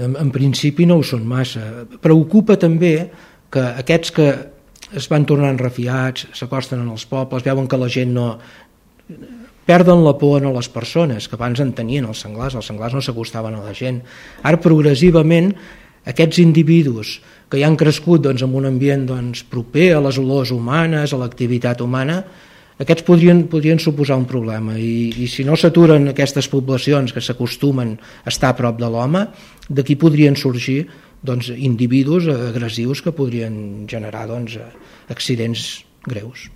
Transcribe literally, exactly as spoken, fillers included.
En, en principi no ho són massa. Preocupa també que aquests que es van tornant refiats, s'acosten als pobles, veuen que la gent no... perden la por a les persones, que abans en tenien els senglars, els senglars no s'acostaven a la gent. Ara, progressivament, aquests individus que ja han crescut doncs, en un ambient doncs, proper a les olors humanes, a l'activitat humana, aquests podrien, podrien suposar un problema. I, i si no s'aturen aquestes poblacions que s'acostumen a estar a prop de l'home, d'aquí podrien sorgir doncs, individus agressius que podrien generar doncs, accidents greus.